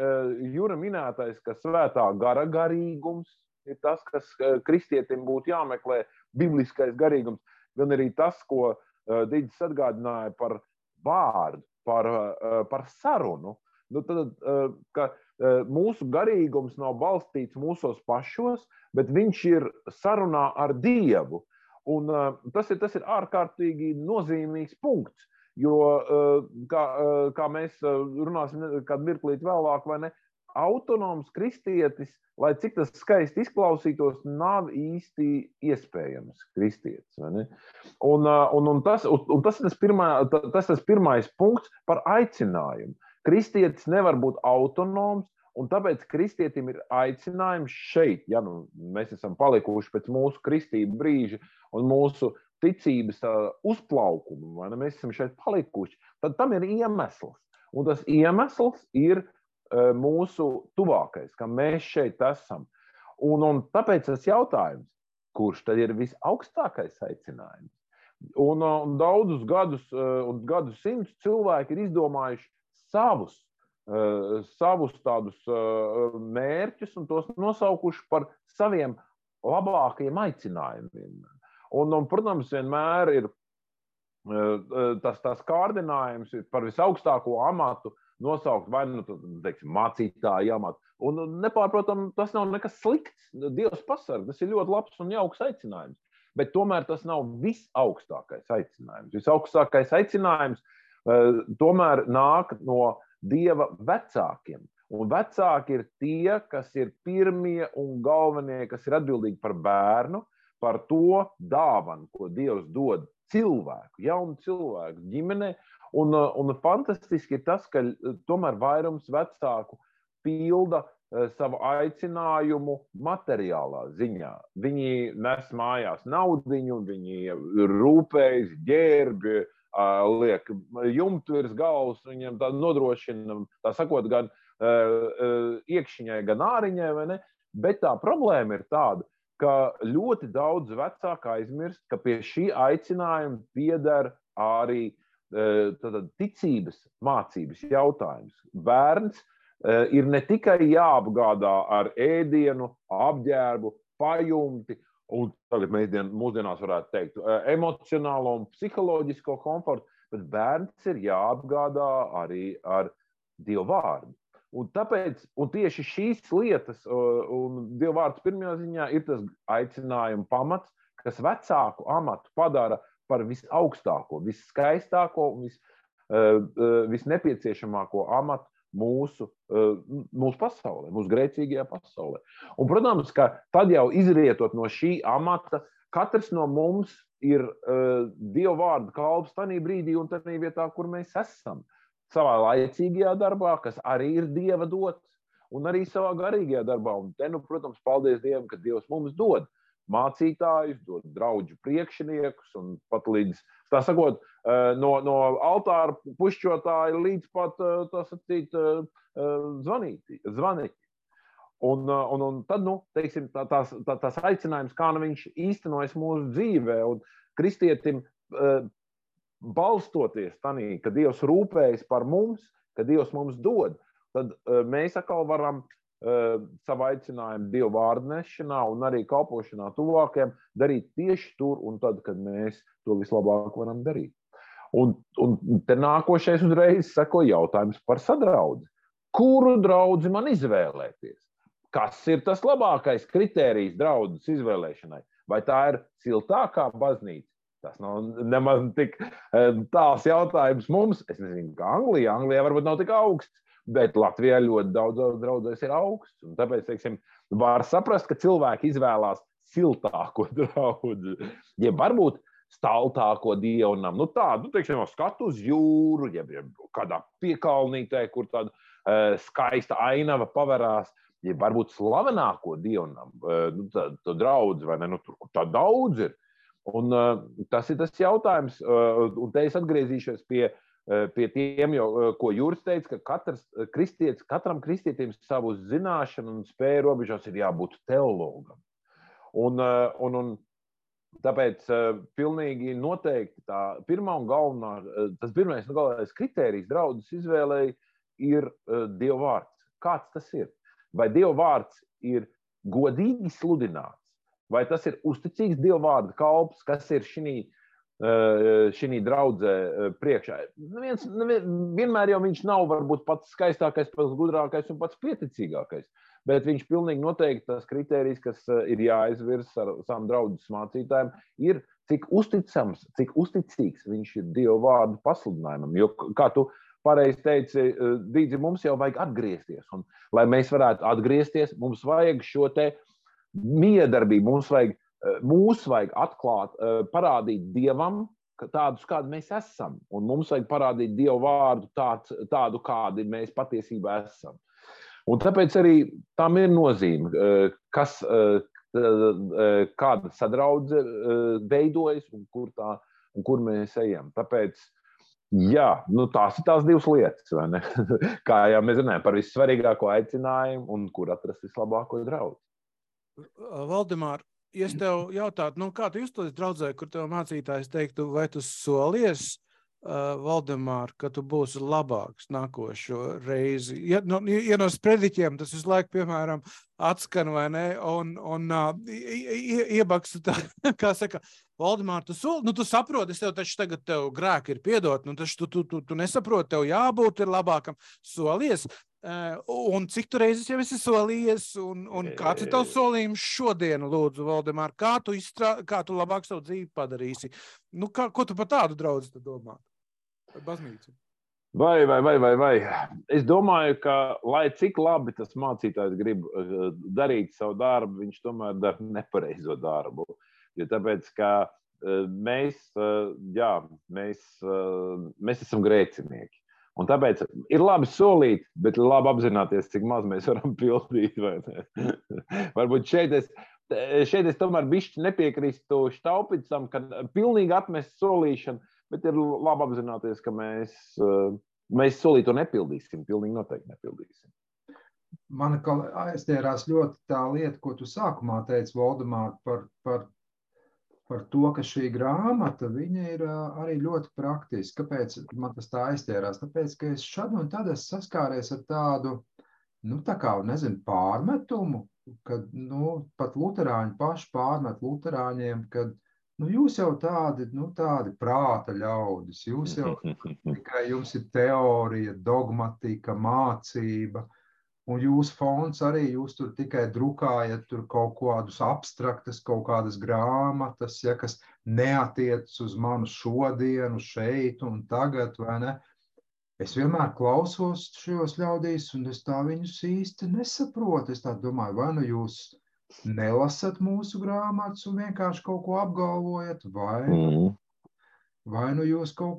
Jura minētais, ka svētā gara garīgums ir tas, kas kristietim būtu jāmeklē, bibliskais garīgums, gan arī tas, ko Diģis atgādināja par vārdu, par sarunu. Tad, ka mūsu garīgums nav balstīts mūsos pašos, bet viņš ir sarunā ar Dievu. Un tas ir ārkārtīgi nozīmīgs punkts, jo, kā mēs runāsim kādu mirklīt vēlāk, vai ne, autonoms kristietis, lai cik tas skaisti izklausītos, nav īsti iespējams kristietis. Vai ne? Un tas ir tas pirmais punkts par aicinājumu. Kristietis nevar būt autonoms, un tāpēc kristietim ir aicinājums šeit, ja mēs esam palikuši pēc mūsu kristību brīža un mūsu ticības uzplaukuma, vai ne, mēs esam šeit palikuši, tad tam ir iemesls. Un tas iemesls ir mūsu tuvākais, ka mēs šeit esam. Un tāpēc tas jautājums, kurš tad ir visaugstākais aicinājums? Un daudzus gadus un gadsimtus cilvēki ir izdomājuši savus tādus mērķus un tos nosaukuši par saviem labākajiem aicinājumiem. Un, protams, vienmēr ir tas kārdinājums ir par visaugstāko amatu nosaukt vai teiksim, mācītāju amatu. Un nepārprotam, tas nav nekas slikts. Dievs pasarg, tas ir ļoti labs un jauks aicinājums. Bet tomēr tas nav visaugstākais aicinājums. Visaugstākais aicinājums tomēr nāk no Dieva vecākiem. Un vecāki ir tie, kas ir pirmie un galvenie, kas ir atbildīgi par bērnu, par to dāvanu, ko Dievs dod cilvēku, jaunu cilvēku ģimenei. Un fantastiski ir tas, ka tomēr vairums vecāku pilda savu aicinājumu materiālā ziņā. Viņi nes mājās naudiņu, viņi rūpējas, ģērbi, liek jumtu virs galvas, viņiem tā nodrošina, tā sakot, gan iekšķiņai, gan āriņai, vai ne? Bet tā problēma ir tāda, ka ļoti daudz vecāku aizmirst, ka pie šī aicinājuma pieder arī ticības mācības jautājums. Bērns ir ne tikai jāapgādā ar ēdienu, apģērbu, pajumti, un tagad mūsdienās varētu teikt, emocionālo un psiholoģisko komfortu, bet bērns ir jāapgādā arī ar Dievu vārdu. Un tieši šīs lietas, un Dieva vārds pirmajā ziņā ir tas aicinājuma pamats, kas vecāku amatu padara par visaugstāko, visskaistāko un visnepieciešamāko amatu mūsu pasaulē, mūsu grēcīgajā pasaulē. Un, protams, ka tad jau izrietot no šī amata, katrs no mums ir Dieva vārda kalps tanī brīdī un tanī vietā, kur mēs esam. Savā laicīgajā darbā, kas arī ir Dieva dots, un arī savā garīgajā darbā. Un te, protams, paldies Dievam, ka Dievs mums dod mācītājus, dod draudžu priekšniekus, un pat līdz, tā sakot, no altāra pušķotāja līdz pat, tā sacīt, zvaniķi. Un tad, teiksim, tās aicinājums, kā viņš īstenojas mūsu dzīvē, un kristietim balstoties tanī, ka Dievs rūpējas par mums, ka Dievs mums dod, tad mēs atkal varam savu aicinājumu Dieva vārdu nešanā un arī kalpošanā tuvākajiem darīt tieši tur un tad, kad mēs to vislabāk varam darīt. Un te nākošais uzreiz seko jautājums par sadraudzi. Kuru draudzi man izvēlēties? Kas ir tas labākais kritērijs draudzes izvēlēšanai? Vai tā ir siltākā baznīca? Tas nav nemaz tik tāls jautājums mums. Es nezinu, kā Anglijā. Anglijā varbūt nav tik augsts, bet Latvijā ļoti daudz draudzēs ir augsts. Un tāpēc, teiksim, var saprast, ka cilvēki izvēlās siltāko draudzi. Ja varbūt staltāko dievnam, tādu, teiksim, skatu uz jūru, ja kādā piekalnītē, kur tāda skaista ainava paverās, ja varbūt slavenāko dievnam, to draudzi, vai ne, tur, kur tā daudz ir. Un tas ir tas jautājums, un te es atgriezīšos pie tiem, ko Juris teica, ka katram kristietim savu zināšanu un spēju robežās ir jābūt teologam. Un tāpēc pilnīgi noteikti tā pirmā un galvenā, tas pirmais un galvenais kritērijs draudzes izvēlei ir Dieva vārds. Kāds tas ir? Vai Dieva vārds ir godīgi sludināts? Vai tas ir uzticīgs Dieva vārda kalps, kas ir šī draudzē priekšā? Vienmēr jau viņš nav varbūt pats skaistākais, pats gudrākais un pats pieticīgākais, bet viņš pilnīgi noteikti tas kritērijs, kas ir jāizvirs ar savām draudzes mācītājiem, ir cik uzticams, cik uzticīgs viņš ir Dieva vārdu pasludinājumam. Jo, kā tu pareizi teici, Dīdzi, mums jau vajag atgriezties. Un, lai mēs varētu atgriezties, mums vajag šo te miedarbību, mūs vajag atklāt, parādīt Dievam tādus, kādi mēs esam. Un mums vajag parādīt Dievu vārdu tādu, kādi mēs patiesībā esam. Un tāpēc arī tam ir nozīme, kāda sadraudze veidojas un kur mēs ejam. Tāpēc, jā, tās ir tās divas lietas, vai ne? Kā jau mēs runājam par vissvarīgāko aicinājumu un kur atrast vislabāko draudzi. Valdemār, ja es tev jautātu, kā tu justos draudzē, kur tev mācītājs teiktu, vai tu solies Valdemār, ka tu būsi labāks nākošo reizi. Ja no sprediķiem tas visu laiku, piemēram, atskan vai ne, un iebaksta tā, kā saka, Valdemār, tu saproti, es taču tagad tev grēki ir piedot, taču tu nesaproti, tev jābūt ir labākam, solies. Un cik tu reizes jau esi solījies, un kāds ir tavs solījums šodien, lūdzu, Valdemār, kā tu labāk savu dzīvi padarīsi? Ko tu par tādu draudzi tu domā? Par baznīcu? Vai. Es domāju, ka, lai cik labi tas mācītājs grib darīt savu darbu, viņš tomēr dara nepareizo darbu. Jo tāpēc, ka mēs esam grēcinieki. Un tāpēc ir labi solīt, bet ir labi apzināties, cik maz mēs varam pildīt. Vai ne? Varbūt šeit es tomēr bišķi nepiekrīstu Štaupicam, ka pilnīgi atmest solīšanu, bet ir labi apzināties, ka mēs solīto nepildīsim, pilnīgi noteikti nepildīsim. Man aiztierās ļoti tā lieta, ko tu sākumā teici, Valdemār, par to, ka šī grāmata, viņa ir arī ļoti praktiska. Kāpēc man tas tā aiztierās? Tāpēc, ka es šad un tad saskāries ar tādu, pārmetumu, kad, pat luterāņi paši pārmet luterāņiem, kad, jūs jau tādi prāta ļaudis, jūs jau tikai jums ir teorija, dogmatika, mācība, un jūsu fonds arī, jūs tur tikai drukājat tur kaut kādus abstraktas, kaut kādas grāmatas, kas neatiec uz manu šodienu, šeit un tagad, vai ne? Es vienmēr klausos šajos ļaudīs, un es tā viņus īsti nesaprotu. Es tā domāju, vai nu jūs nelasat mūsu grāmatas un vienkārši kaut ko apgalvojat, vai nu jūs kaut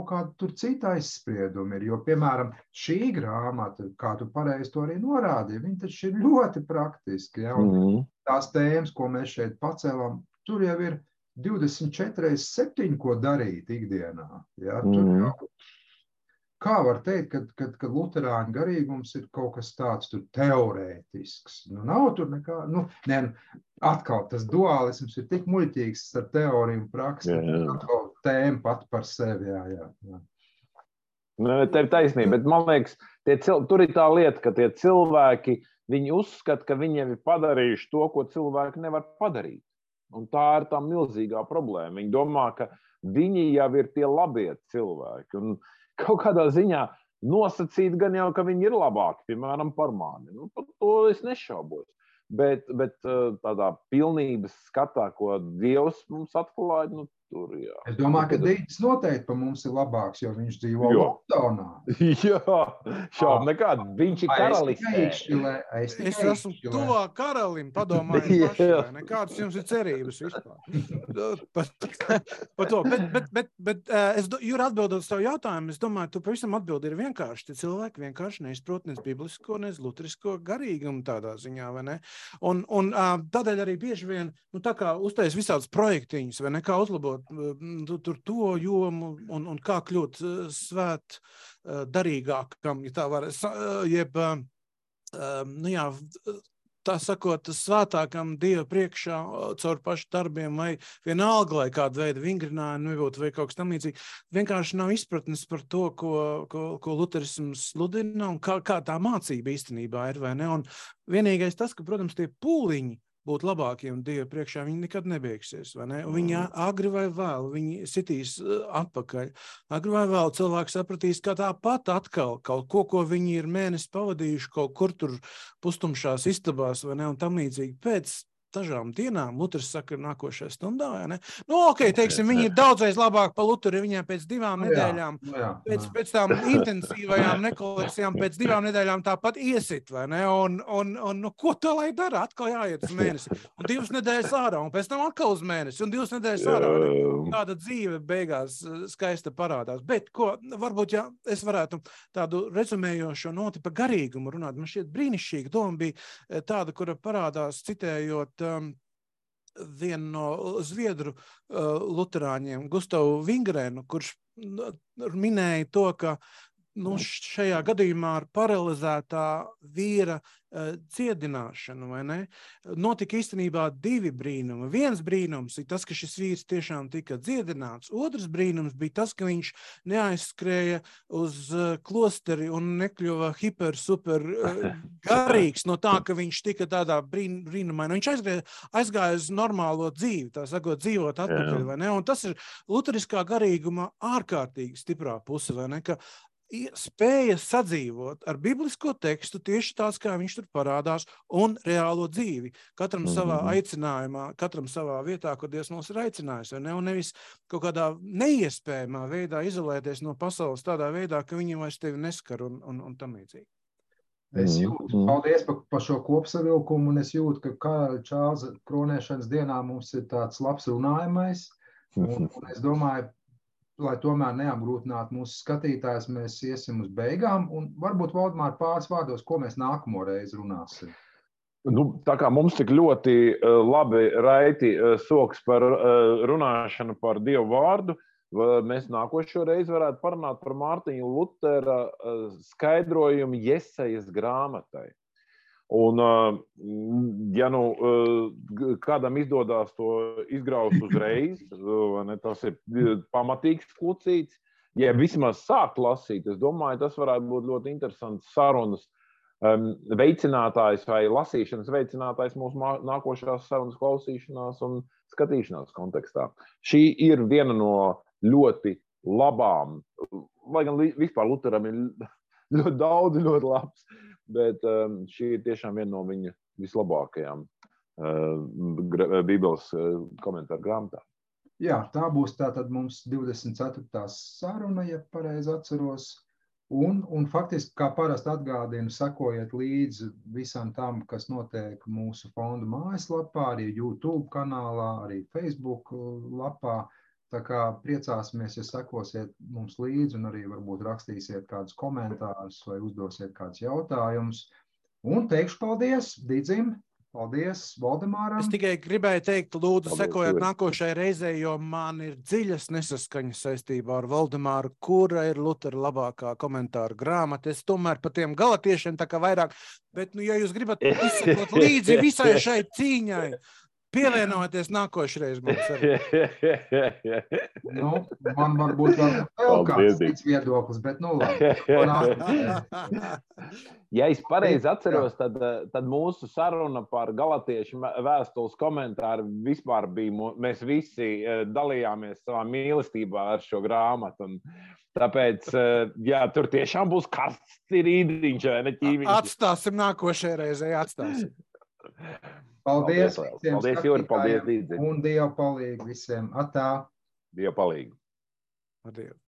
kāda tur cita aizsprieduma ir. Jo, piemēram, šī grāmata, kā tu pareizi to arī norādīji, viņa taču ir ļoti praktiski. Ja? Un tās tēmas, ko mēs šeit pacēlām, tur jau ir 24/7, ko darīt ikdienā. Ja? Tur jau, kā var teikt, kad luterāņu garīgums ir kaut kas tāds tur teorētisks. Nav tur nekā, atkal tas dualisms ir tik muļķīgs ar teoriju un praksi. Atkal tēma pat par sevi, jā. Tev taisnība, bet man liekas, tur ir tā lieta, ka tie cilvēki, viņi uzskata, ka viņiem ir padarījuši to, ko cilvēki nevar padarīt. Un tā ir tā milzīgā problēma. Viņi domā, ka viņi jau ir tie labie cilvēki. Un kaut kādā ziņā nosacīt gan jau, ka viņi ir labāki, piemēram, par mani. Par to es nešaubos. Bet tādā pilnības skatā, ko Dievs mums atklāja, tur, jā. Es domāju, ka Dītis noteikti par mums ir labāks, jo viņš dzīvo Londonā. Jā, šaubu nekādu. Viņš ir karalistē. Es esmu tuvā karalim, padomāju paši, vai nekādas jums ir cerības vispār. Par to. Bet Jūra, atbildot uz tavu jautājumu, es domāju, tu pavisam atbildi ir vienkārši. Tie cilvēki vienkārši neizprot nec biblisko, nec luterisko garīgumu tādā ziņā, vai ne? Un tādēļ arī bieži vien, tā kā uztais visādas projektiņas, vai ne, kā uzlabot tur to jomu un kā kļūt svēt darīgākam, ja tā var, tā sakot, svētākam Dieva priekšā caur pašu darbiem vai vienalga, lai kādu veidu vingrinājumi nebūtu vai kaut kas tam līdzīgi. Vienkārši nav izpratnes par to, ko luterisms sludina un kā tā mācība īstenībā ir, vai ne? Un vienīgais tas, ka, protams, tie pūliņi būt labākiem Dieva priekšā, viņi nekad nebeigsies, vai ne? Un viņi agri vai vēl, viņi sitīs atpakaļ. Agri vai vēl cilvēki sapratīs, ka tāpat atkal kaut ko viņi ir mēnesi pavadījuši kaut kur tur pustumšās istabās, vai ne? Un tam līdzīgi pēc dažām dienām, Luters saka, nākošajā stundā, vai ne? Teiksim, viņi ir daudzreiz labāk pa Luteru, viņiem pēc 2 nedēļām, pēc tām intensīvajām nekolekcijām, pēc 2 nedēļām tāpat iesit, vai ne? Un ko to lai dara? Atkal jāiet uz mēnesi. Un 2 nedēļas ārā, un pēc tam atkal uz mēnesi, un 2 nedēļas ārā. Tāda dzīve beigās skaista parādās. Bet, varbūt, ja es varētu tādu rezumējošo noti par garīgumu runāt, man šķiet brīnišķīga doma bija tāda, kura parādās citējot vienu no zviedru luterāņiem, Gustavu Vingrenu, kurš minēja to, ka šajā gadījumā ar paralizētā vīra dziedināšanu, vai ne? Notika īstenībā 2 brīnumi. Viens brīnums ir tas, ka šis vīrs tiešām tika dziedināts. Otrs brīnums bija tas, ka viņš neaizskrēja uz klosteri un nekļuva super garīgs no tā, ka viņš tika tādā brīnumainā. Viņš aizgāja uz normālo dzīvi, tā sakot, dzīvot atpakaļ, vai ne? Un tas ir luteriskā garīguma ārkārtīgi stiprā puse, vai ne? Ka spēja sadzīvot ar biblisko tekstu tieši tāds, kā viņš tur parādās, un reālo dzīvi. Katram savā aicinājumā, katram savā vietā, kur Dievs mūs ir aicinājis, vai ne? Un nevis kaut kādā neiespējamā veidā izolēties no pasaules tādā veidā, ka viņi vairs tevi neskar un tam līdzīgi. Es jūtu, paldies par šo kopsavilkumu, un es jūtu, ka karaļa Čārlza kronēšanas dienā mums ir tāds labs runājamais, un es domāju, lai tomēr neapgrūtinātu mūsu skatītājs, mēs iesim uz beigām, un varbūt Valdemār pāris vārdos, ko mēs nākamo reizi runāsim. Tā kā mums tik ļoti labi raiti soks par runāšanu par Dievu vārdu, mēs nākošo reizi varētu parunāt par Mārtiņa Lutera skaidrojumu Jesajas grāmatai. Un, ja kādam izdodās to izgraust uzreiz, tas ir pamatīgs klucīts, ja vismaz sākt lasīt, es domāju, tas varētu būt ļoti interesants sarunas veicinātājs vai lasīšanas veicinātājs mūsu nākošās sarunas klausīšanās un skatīšanās kontekstā. Šī ir viena no ļoti labām, lai gan vispār Luteram ir ļoti daudz, ļoti labs, bet šī ir tiešām viena no viņa vislabākajām Bībeles komentāru grāmatām. Jā, tā būs tātad mums 24. saruna, ja pareizi atceros. Un faktiski, kā parasti atgādinu, sekojiet līdzi visam tam, kas notiek mūsu fondu mājaslapā, arī YouTube kanālā, arī Facebook lapā. Tā kā priecāsimies, ja sekosiet mums līdzi un arī varbūt rakstīsiet kādus komentārus vai uzdosiet kādus jautājumus. Un teikšu paldies Didzim, paldies Valdemāram. Es tikai gribēju teikt, lūdzu, sekojiet nākošajai reizei, jo man ir dziļas nesaskaņas saistībā ar Valdemāru, kura ir Lutera labākā komentāra grāmata. Es tomēr par tiem galatiešiem tā kā vairāk, bet, ja jūs gribat izsekot līdzi visai šai cīņai, pievienoties nākošreiz mums arī. Man varbūt vēl kāds cits viedoklis, bet labi. Ja es pareizi atceros, tad mūsu saruna par galatiešu vēstules komentāru vispār bija, mēs visi dalījāmies savā mīlestībā ar šo grāmatu. Tāpēc, jā, tur tiešām būs karsts rīdiņš, vai ne ķīviņš. Atstāsim nākošajai reizei, atstāsim. Paldies, paldies Jūri, paldies Dīdzi. Un Dievu palīgu visiem. Atā. Dievu palīgu. Ar Dievu.